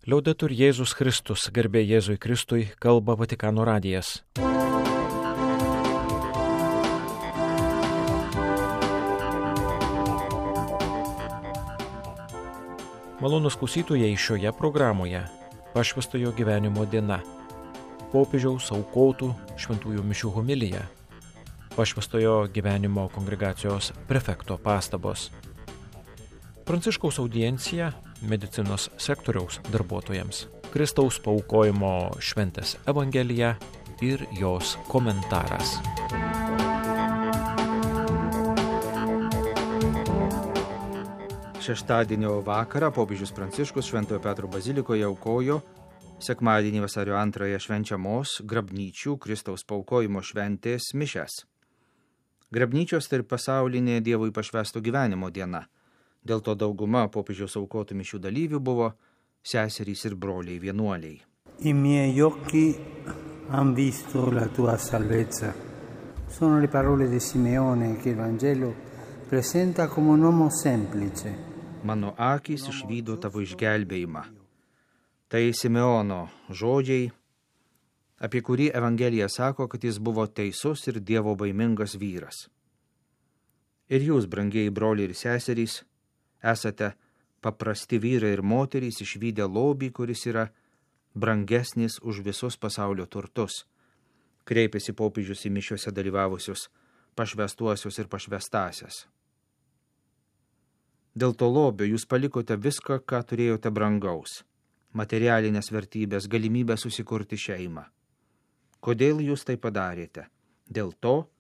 Liaudetur Jėzus Kristus, garbė Jėzui Kristui, kalba Vatikano radijas. Malonūs klausytojai, šioje programoje pašvęstojo gyvenimo diena, popiežiaus aukotų šventųjų mišių homilija, pašvęstojo gyvenimo kongregacijos prefekto pastabos, Pranciškaus audiencija medicinos sektoriaus darbuotojams, Kristaus paaukojimo šventės evangelija ir jos komentaras. Šeštadienio vakarą popiežius Pranciškus Šventojo Petro bazilikoje aukojo sekmadienį vasario 2 švenčiamos grabnyčių Kristaus paaukojimo šventės mišias. Grabnyčios tai pasaulinė Dievui pašvęsto gyvenimo diena. Dėl to dauguma popiežiaus aukotų mišių dalyvių buvo seserys ir broliai vienuoliai. I miei occhi han visto la tua salvezza. Sono le parole di Simeone che il Vangelo presenta come un uomo semplice. Mano akys išvydo tavo išgelbėjimą. Tai Simeono žodžiai, apie kurį Evangelija sako, kad jis buvo teisus ir Dievo baimingas vyras. Ir jūs, brangieji broliai ir seserys, esate paprasti vyrai ir moterys išvydę lobį, kuris yra brangesnis už visus pasaulio turtus, kreipėsi popiežius į mišiuose dalyvavusius pašvęstuosius ir pašvęstasias. Dėl to lobio jūs palikote viską, ką turėjote brangaus, materialinės vertybės, galimybę susikurti šeimą. Kodėl jūs tai padarėte? Dėl to,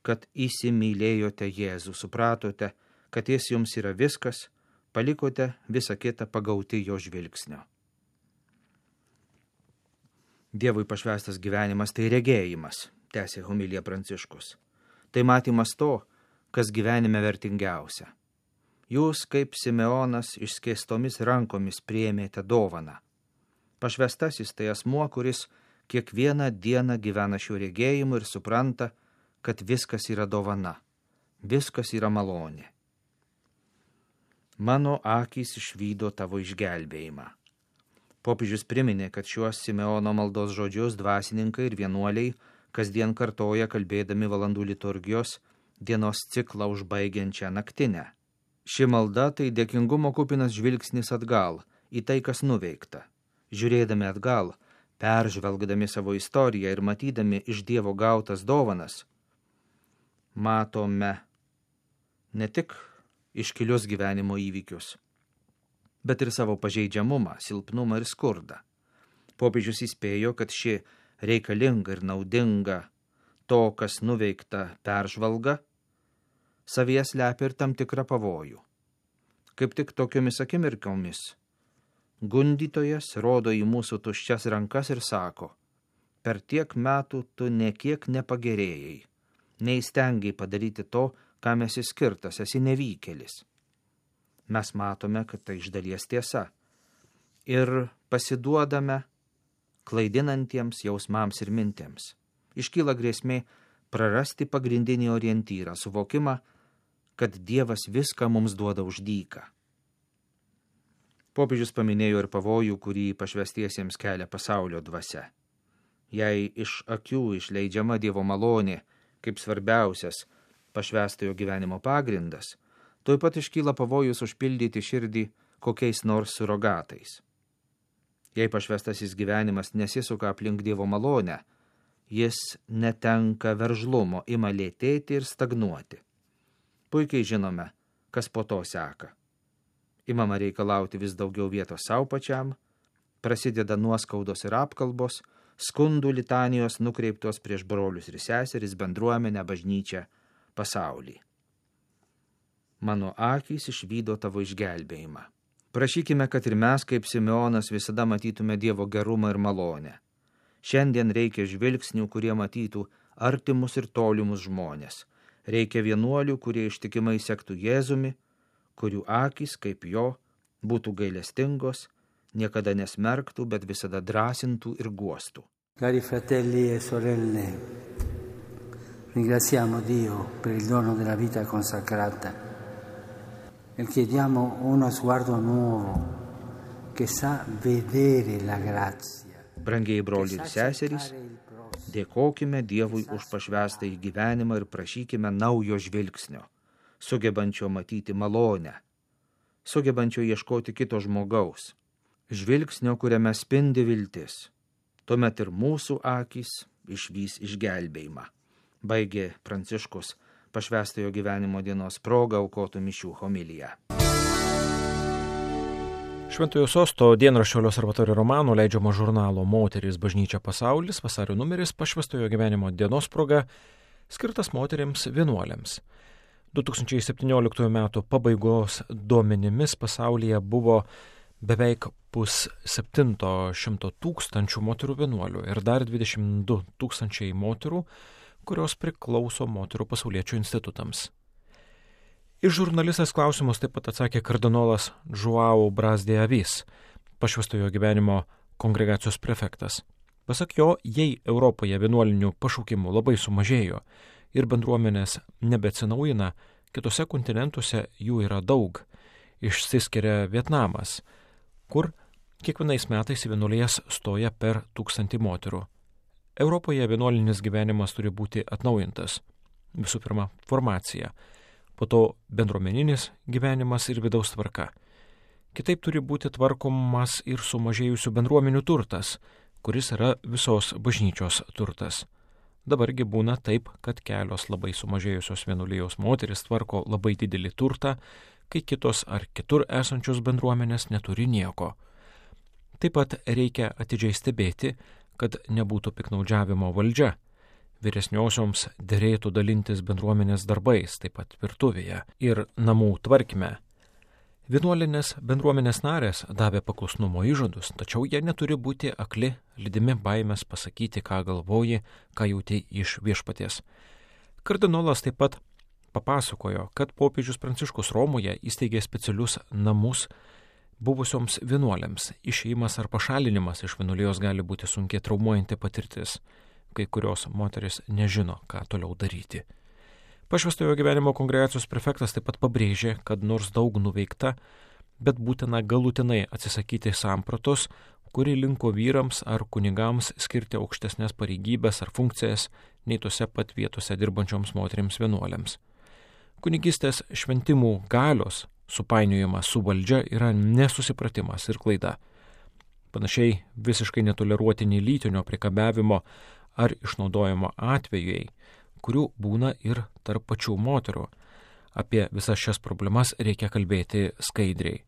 kad įsimylėjote Jėzų, supratote, kad jis jums yra viskas, palikote visą kitą pagauti jo žvilgsnio. Dievui pašvęstas gyvenimas tai regėjimas, tęsė homilija Pranciškus. Tai matymas to, kas gyvenime vertingiausia. Jūs, kaip Simeonas, išskėstomis rankomis priėmėte dovaną. Pašvęstasis tai asmuo, kuris kiekvieną dieną gyvena šiuo regėjimu ir supranta, kad viskas yra dovana, viskas yra malonė. Mano akys išvydo tavo išgelbėjimą. Popiežius priminė, kad šiuos Simeono maldos žodžius dvasininkai ir vienuoliai kasdien kartoja kalbėdami valandų liturgijos dienos ciklą užbaigiančią naktinę. Ši malda tai dėkingumo kupinas žvilgsnis atgal į tai, kas nuveikta. Žiūrėdami atgal, peržvelgdami savo istoriją ir matydami iš Dievo gautas dovanas, matome ne tik iškilius gyvenimo įvykius, bet ir savo pažeidžiamumą, silpnumą ir skurdą. Popiežius įspėjo, kad ši reikalinga ir naudinga to, kas nuveikta peržvalga, savyje slepia ir tam tikrą pavojų. Kaip tik tokiomis akimirkomis gundytojas rodo į mūsų tuščias rankas ir sako, per tiek metų tu nekiek nepagerėjai, neįstengiai padaryti to, kam esi skirtas, esi nevykėlis. Mes matome, kad tai iš dalies tiesa ir pasiduodame klaidinantiems jausmams ir mintims. Iškyla grėsmė prarasti pagrindinį orientyrą, suvokimą, kad Dievas viską mums duoda už dyką. Popiežius paminėjo ir pavojų, kurį pašvęstiesiems kelia pasaulio dvasia. Jei iš akių išleidžiama Dievo malonė kaip svarbiausias pašvęstojo gyvenimo pagrindas, tuoj pat iškyla pavojus užpildyti širdį kokiais nors surogatais. Jei pašvęstasis gyvenimas nesisuka aplink Dievo malonę, jis netenka veržlumo, ima lėtėti ir stagnuoti. Puikiai žinome, kas po to seka. Imama reikalauti vis daugiau vietos savo pačiam, prasideda nuoskaudos ir apkalbos, skundų litanijos nukreiptos prieš brolius ir seseris, bendruomenę, bažnyčią, pasaulį. Mano akys išvydo tavo išgelbėjimą. Prašykime, kad ir mes, kaip Simeonas, visada matytume Dievo gerumą ir malonę. Šiandien reikia žvilgsnių, kurie matytų artimus ir tolimus žmonės. Reikia vienuolių, kurie ištikimai sektų Jėzumi, kurių akys, kaip jo, būtų gailestingos, niekada nesmerktų, bet visada drąsintų ir guostų. Cari fratelli e sorelle, ringraziamo Dio per il dono della vita consacrata e chiediamo uno sguardo nuovo che sa vedere la grazia. Brangiai broliai ir seserys, dėkokime Dievui už pašvęstąjį gyvenimą ir prašykime naujo žvilgsnio, sugebančio matyti malonę, sugebančio ieškoti kito žmogaus, žvilgsnio, kuriame spindi viltis. Tuomet ir mūsų akys išvys išgelbėjimą. Baigė Pranciškus pašvęstojo gyvenimo dienos proga aukotų mišių homiliją. Šventojo Sosto dienraščio L'Osservatore Romano leidžiamo žurnalo Moterys bažnyčia pasaulis vasario numeris pašvęstojo gyvenimo dienos proga skirtas moterims vienuolėms. 2017 metų pabaigos duomenimis pasaulyje buvo beveik 700 tūkstančių moterų vienuolių ir dar 22 tūkstančiai moterų, kurios priklauso moterų pasauliečių institutams. Iš žurnalistės klausimus taip pat atsakė kardinolas João Braz de Avis, pašvęstojo gyvenimo kongregacijos prefektas. Pasak jo, jei Europoje vienuolinių pašaukimų labai sumažėjo ir bendruomenės nebeatsinaujina, kitose kontinentuose jų yra daug. Išsiskiria Vietnamas, kur kiekvienais metais į vienuolijas stoja per 1000 moterų. Europoje vienuolinis gyvenimas turi būti atnaujintas. Visų pirma, formacija, po to bendruomeninis gyvenimas ir vidaus tvarka. Kitaip turi būti tvarkomas ir sumažėjusių bendruomenių turtas, kuris yra visos bažnyčios turtas. Dabargi būna taip, kad kelios labai sumažėjusios vienuolijos moteris tvarko labai didelį turtą, kai kitos ar kitur esančios bendruomenės neturi nieko. Taip pat reikia atidžiai stebėti, kad nebūtų piknaudžiavimo valdžia. Vyresniosioms derėtų dalintis bendruomenės darbais, taip pat virtuvėje ir namų tvarkyme. Vienuolinės bendruomenės narės davė paklusnumo įžadus, tačiau jie neturi būti akli, lydimi baimės pasakyti, ką galvoji, ką jauti iš viešpaties. Kardinolas taip pat papasakojo, kad popiežius Pranciškus Romoje įsteigė specialius namus buvusioms vienuolėms. Išėjimas ar pašalinimas iš vienuolijos gali būti sunkiai traumuojanti patirtis. Kai kurios moteris nežino, ką toliau daryti. Pašvęstojo gyvenimo kongregacijos prefektas taip pat pabrėžė, kad nors daug nuveikta, bet būtina galutinai atsisakyti sampratos, kuri linko vyrams ar kunigams skirti aukštesnės pareigybės ar funkcijas nei tose pat vietose dirbančioms moterims vienuolėms. Kunigystės šventimų galios supainiojimas su valdžia yra nesusipratimas ir klaida. Panašiai visiškai netoleruotini lytinio priekabiavimo ar išnaudojimo atvejai, kurių būna ir tarp pačių moterų. Apie visas šias problemas reikia kalbėti skaidriai.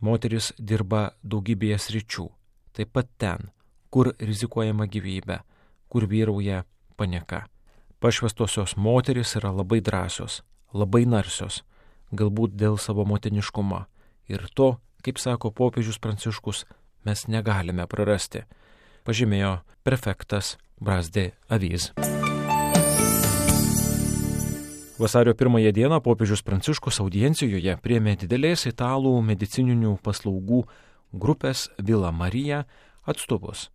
Moteris dirba daugybėje sričių, taip pat ten, kur rizikuojama gyvybė, kur vyrauja panieka. Pašvęstosios moteris yra labai drąsios, labai narsios, galbūt dėl savo motiniškumo. Ir to, kaip sako popiežius Pranciškus, mes negalime prarasti, pažymėjo prefektas Braz de Avis. Vasario 1 dieną popiežius Pranciškus audiencijoje priėmė didelės italų medicininių paslaugų grupės Villa Maria atstovus,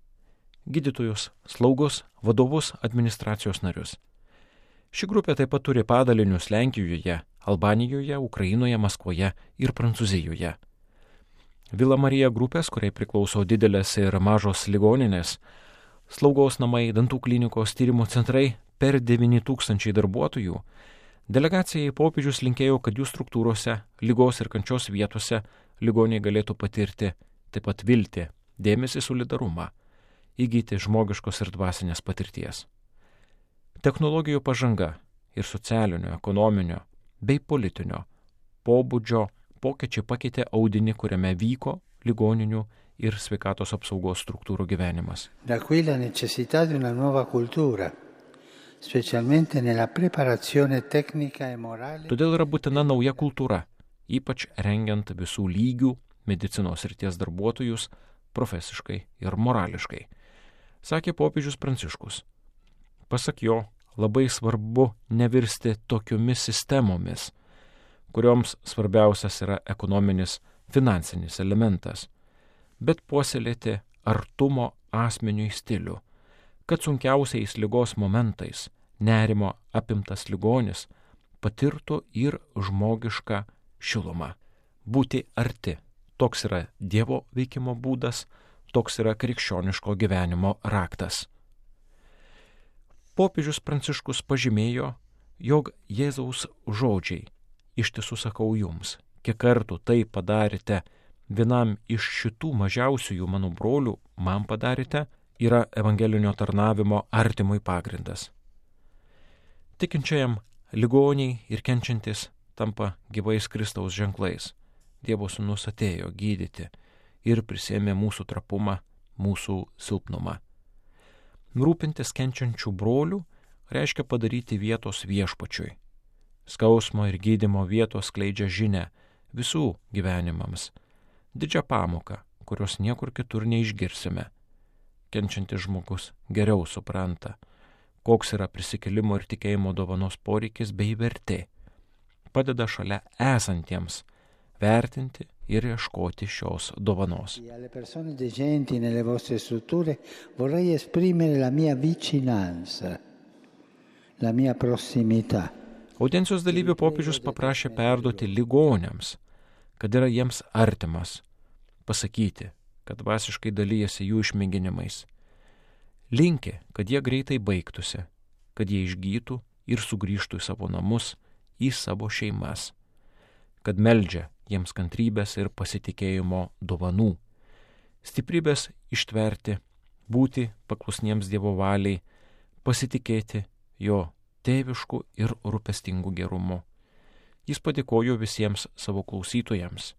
gydytojus, slaugus, vadovus, administracijos narius. Ši grupė taip pat turi padalinius Lenkijoje, Albanijoje, Ukrainoje, Maskvoje ir Prancūzijoje. Villa Maria grupės, kuriai priklauso didelės ir mažos ligoninės, slaugos namai, dantų klinikos, tyrimo centrai, per 9000 darbuotojų, delegacijai popiežius linkėjo, kad jų struktūrose, ligos ir kančios vietose ligoniai galėtų patirti taip pat viltį, dėmesį, solidarumą, įgyti žmogiškos ir dvasinės patirties. Technologijų pažanga ir socialinio, ekonominio bei politinio pobūdžio pokyčiai pakeitė audinį, kuriame vyko ligoninių ir sveikatos apsaugos struktūrų gyvenimas. Da qui la necessità di una nuova cultura, specialmente nella preparazione tecnica e morale. Todėl yra būtina nauja kultūra, ypač rengiant visų lygių medicinos srities darbuotojus profesiškai ir morališkai, sakė popiežius Pranciškus. Pasak jo, labai svarbu nevirsti tokiomis sistemomis, kurioms svarbiausias yra ekonominis, finansinis elementas, bet puoselėti artumo asmeniui stilių, kad sunkiausiais ligos momentais nerimo apimtas ligonis patirtų ir žmogišką šilumą. Būti arti Toks yra Dievo veikimo būdas, toks yra krikščioniško gyvenimo raktas. Popiežius Pranciškus pažymėjo, jog Jėzaus žodžiai, iš tiesų sakau jums, kiek kartų tai padarėte vienam iš šitų mažiausiųjų mano brolių, man padarėte, yra evangelinio tarnavimo artimui pagrindas. Tikinčiajam ligoniai ir kenčiantis tampa gyvais Kristaus ženklais. Dievo sūnus atėjo gydyti ir prisėmė mūsų trapumą, mūsų silpnumą. Rūpintis kenčiančių brolių reiškia padaryti vietos viešpačiui. Skausmo ir gydymo vietos skleidžia žinią visų gyvenimams. Didžią pamoką, kurios niekur kitur neišgirsime. Kenčiantis žmogus geriau supranta, koks yra prisikėlimo ir tikėjimo dovanos poreikis bei vertė. Padeda šalia esantiems vertinti ir ieškoti šios dovanos. Alle persone degenti nelle vostre strutture vorrei esprimere la mia vicinanza, la mia prossimità. Audiencijos dalyvių popiežius paprašė perduoti ligoniams, kad yra jiems artimas, pasakyti, kad dvasiškai dalyjasi jų išmėginimais. Linkė, kad jie greitai baigtųsi, kad jie išgytų ir sugrįžtų į savo namus, į savo šeimas, kad meldžia jiems kantrybės ir pasitikėjimo dovanų, stiprybės ištverti, būti paklusniems Dievo valiai, pasitikėti jo tėvišku ir rūpestingu gerumu. Jis padėkojo visiems savo klausytojams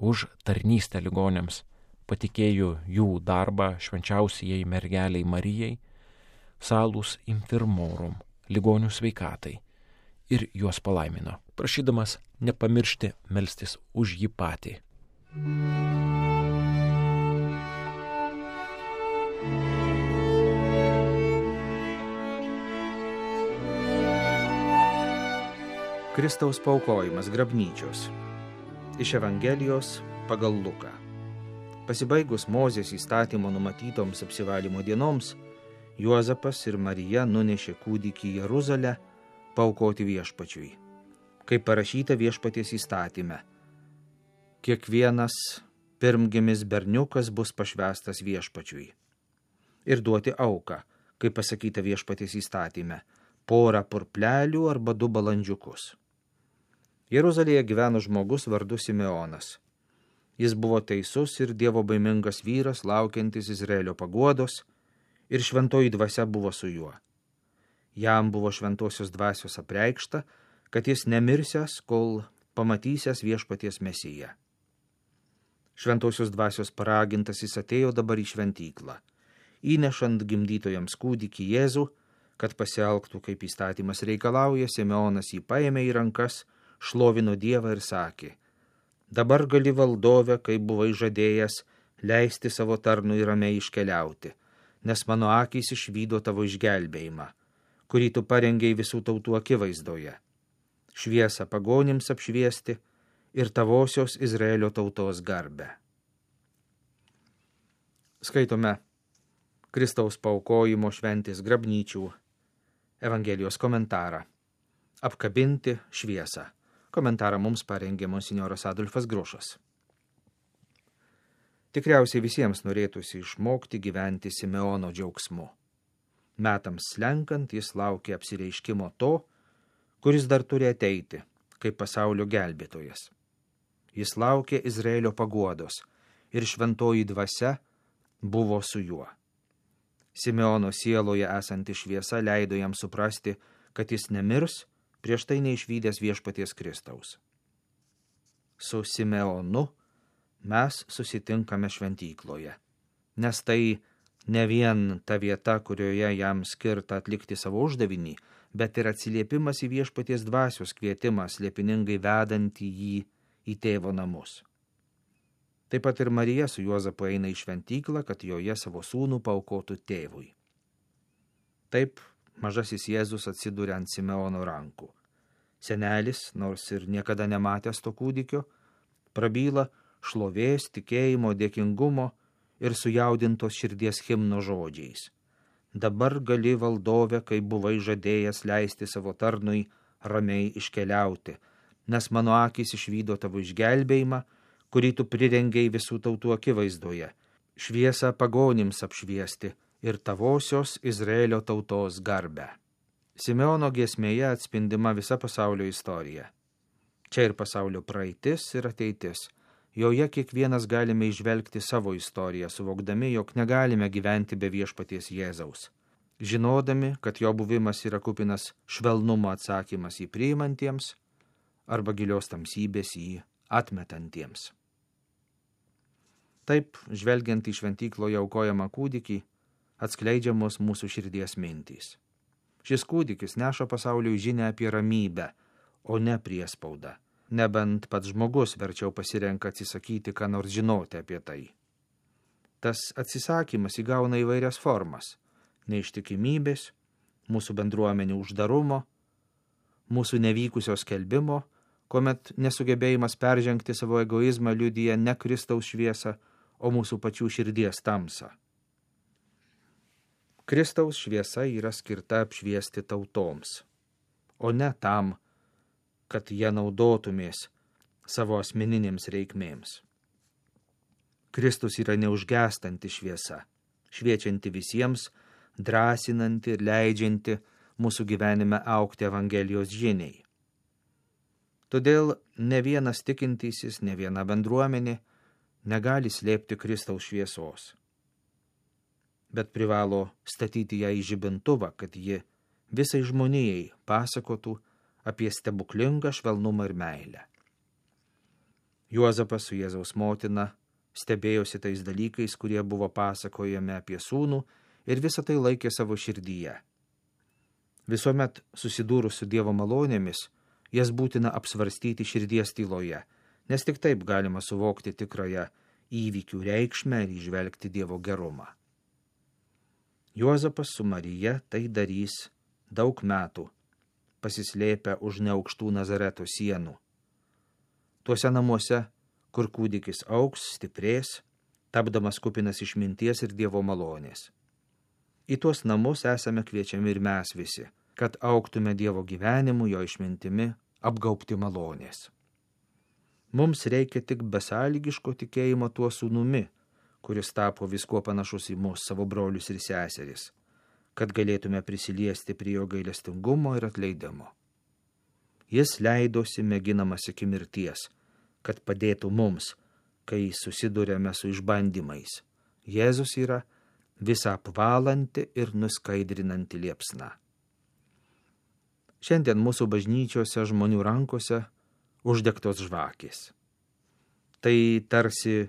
už tarnystę ligonėms, patikėjo jų darbą švenčiausiai mergeliai Marijai, salus infirmorum, ligonių sveikatai, ir juos palaimino, prašydamas nepamiršti melstis už jį patį. Kristaus paaukojimas grabnyčios. Iš Evangelijos pagal Luką. Pasibaigus Mozės įstatymo numatytoms apsivalymo dienoms, Juozapas ir Marija nunešė kūdikį į Jeruzalę paaukoti viešpačiui. Kaip parašyta viešpaties įstatyme, kiekvienas pirmgimis berniukas bus pašvęstas viešpačiui. Ir duoti auką, kaip pasakyta viešpaties įstatyme, porą purplelių arba 2 balandžiukus. Jeruzalėje gyveno žmogus vardu Simeonas. Jis buvo teisus ir dievobaimingas vyras, laukiantis Izraelio paguodos, ir šventoji dvasia buvo su juo. Jam buvo šventosios dvasios apreikšta, kad jis nemirsęs, kol pamatysęs viešpaties Mesiją. Šventosios dvasios paragintas jis atėjo dabar į šventyklą, įnešant gimdytojams kūdikį Jėzų, kad pasielgtų kaip įstatymas reikalauja, Simeonas jį paėmė į rankas, šlovino Dievą ir sakė: dabar gali valdove, kaip buvai žadėjęs, leisti savo tarnui ramiai iškeliauti, nes mano akys išvydo tavo išgelbėjimą, kurį tu parengei visų tautų akivaizdoje, šviesą pagonims apšviesti ir tavosios Izraelio tautos garbę. Skaitome Kristaus paaukojimo šventės grabnyčių Evangelijos komentarą. Apkabinti šviesą. Komentarą mums parengė monsinjoras Adolfas Grušas. Tikriausiai visiems norėtųsi išmokti gyventi Simeono džiaugsmu. Metams slenkant jis laukia apsireiškimo to, kuris dar turi ateiti, kaip pasaulio gelbėtojas. Jis laukia Izraelio paguodos ir šventoji dvasia buvo su juo. Simeono sieloje esanti šviesa leido jam suprasti, kad jis nemirs, prieš tai neišvydęs viešpaties Kristaus. Su Simeonu mes susitinkame šventykloje, nes tai ne vien ta vieta, kurioje jam skirta atlikti savo uždavinį, bet ir atsiliepimas į viešpaties dvasios kvietimą, slėpiningai vedantį jį į tėvo namus. Taip pat ir Marija su Juozapu eina į šventyklą, kad joje savo sūnų paaukotų tėvui. Taip mažasis Jėzus atsiduria ant Simeono rankų. Senelis, nors ir niekada nematęs to kūdikio, prabyla šlovės, tikėjimo, dėkingumo ir sujaudintos širdies himno žodžiais. Dabar gali valdove, kaip buvai žadėjęs, leisti savo tarnui ramiai iškeliauti, nes mano akys išvydo tavo išgelbėjimą, kurį tu prirengiai visų tautų akivaizdoje, šviesą pagonims apšviesti ir tavosios Izraelio tautos garbę. Simeono giesmėje atspindima visa pasaulio istorija. Čia ir pasaulio praeitis ir ateitis. Joje kiekvienas galime įžvelgti savo istoriją, suvokdami, jog negalime gyventi be viešpaties Jėzaus. Žinodami, kad jo buvimas yra kupinas švelnumo atsakymas į priimantiems arba gilios tamsybės į atmetantiems. Taip, žvelgiant į šventykloje aukojamą kūdikį, atskleidžiamos mūsų širdies mintys. Šis kūdikis neša pasauliui žinią apie ramybę, o ne priespaudą. Nebent pats žmogus verčiau pasirenka atsisakyti, ką nors žinoti apie tai. Tas atsisakymas įgauna įvairias formas – neištikimybės, mūsų bendruomenių uždarumo, mūsų nevykusio skelbimo, kuomet nesugebėjimas peržengti savo egoizmą liudija ne Kristaus šviesą, o mūsų pačių širdies tamsą. Kristaus šviesa yra skirta apšviesti tautoms, o ne tam, kad jie naudotumės savo asmeninėms reikmėms. Kristus yra neužgęstanti šviesa, šviečianti visiems, drąsinanti ir leidžianti mūsų gyvenime augti Evangelijos žiniai. Todėl ne vienas tikintysis, ne viena bendruomenė negali slėpti Kristaus šviesos, bet privalo statyti ją į žibintuvą, kad ji visai žmonijai pasakotų apie stebuklingą švelnumą ir meilę. Juozapas su Jėzaus motina stebėjosi tais dalykais, kurie buvo pasakojami apie sūnų ir visą tai laikė savo širdyje. Visuomet susidūrus su Dievo malonėmis, jas būtina apsvarstyti širdies tyloje, nes tik taip galima suvokti tikrąją įvykių reikšmę ir įžvelgti Dievo gerumą. Juozapas su Marija tai darys daug metų, pasislėpę už neaukštų Nazareto sienų. Tuose namuose, kur kūdikis augs, stiprės, tapdamas kupinas išminties ir Dievo malonės. Į tuos namus esame kviečiami ir mes visi, kad augtume Dievo gyvenimu, jo išmintimi, apgaubti malonės. Mums reikia tik besąlygiško tikėjimo tuo sūnumi, kuris tapo viskuo panašus į mus, savo brolius ir seseris, kad galėtume prisiliesti prie jo gailestingumo ir atleidimo. Jis leidosi mėginamas iki mirties, kad padėtų mums, kai susidurėme su išbandymais. Jėzus yra visą apvalanti ir nuskaidrinanti liepsna. Šiandien mūsų bažnyčiose žmonių rankose uždegtos žvakės. Tai tarsi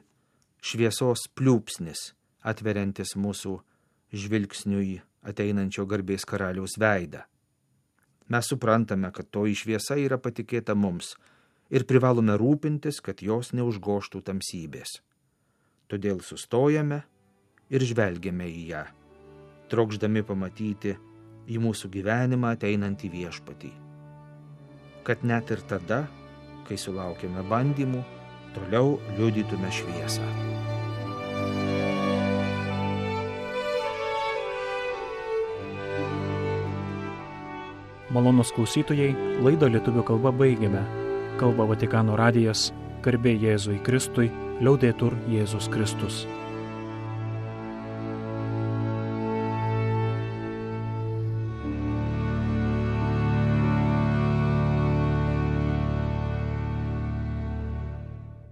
šviesos pliūpsnis, atveriantis mūsų žvilgsniui ateinančio garbės karaliaus veidą. Mes suprantame, kad toji šviesa yra patikėta mums ir privalome rūpintis, kad jos neužgoštų tamsybės. Todėl sustojame ir žvelgiame į ją, trokšdami pamatyti į mūsų gyvenimą ateinantį viešpatį. Kad net ir tada, kai sulaukėme bandymų, toliau liudytume šviesą. Malonūs klausytojai, laidą lietuvių kalba baigiame. Kalba Vatikano radijas, garbė Jėzui Kristui, liaudetur Jėzus Kristus.